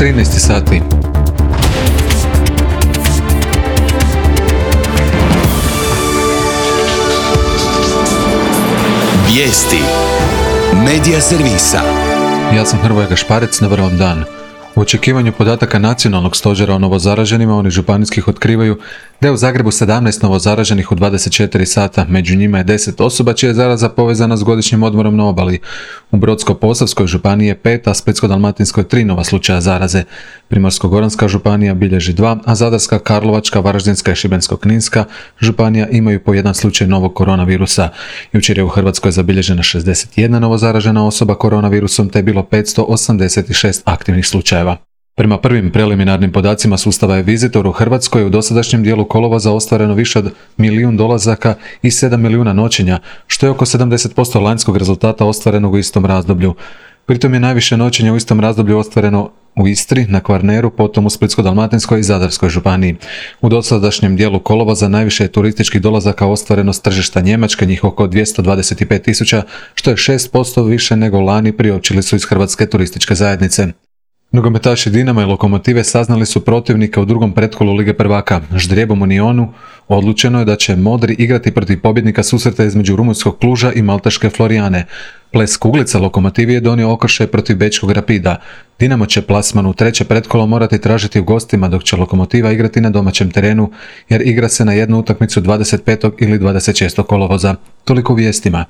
13 sati. Vijesti Medija servisa. Ja sam Hrvoje Gašparec, dobar vam dan. U očekivanju podataka nacionalnog stožera o novozaraženima, oni županijskih otkrivaju da je u Zagrebu 17 novozaraženih u 24 sata, među njima je 10 osoba čija je zaraza povezana s godišnjim odmorom na obali. U Brodsko-posavskoj županiji je 5, a Splitsko-dalmatinskoj 3 nova slučaja zaraze. Primorsko-goranska županija bilježi 2, a Zadarska, Karlovačka, Varaždinska i Šibensko-kninska županija imaju po jedan slučaj novog koronavirusa. Jučer je u Hrvatskoj zabilježena 61 novozaražena osoba koronavirusom, te je bilo 586 aktivnih slučajeva. Prema prvim preliminarnim podacima sustava e-Visitor u Hrvatskoj je u dosadašnjem dijelu kolovoza ostvareno više od 1 milijun dolazaka i 7 milijuna noćenja, što je oko 70% lanjskog rezultata ostvarenog u istom razdoblju. Pritom je najviše noćenja u istom razdoblju ostvareno u Istri, na Kvarneru, potom u Splitsko-dalmatinskoj i Zadarskoj županiji. U dosadašnjem dijelu kolovoza najviše je turističkih dolazaka ostvareno s tržišta Njemačke, njih oko 225.000, što je 6% više nego lani, priopćili su iz Hrvatske turističke zajednice. Nogometaši Dinama i Lokomotive saznali su protivnika u drugom pretkolu Lige prvaka. Ždrijebom u Nionu odlučeno je da će modri igrati protiv pobjednika susreta između rumunjskog Kluža i malteške Florijane. Ples kuglica Lokomotivi je donio okršaj protiv bečkog Rapida. Dinamo će plasman u treće pretkolo morati tražiti u gostima, dok će Lokomotiva igrati na domaćem terenu, jer igra se na jednu utakmicu 25. ili 26. kolovoza. Toliko u vijestima.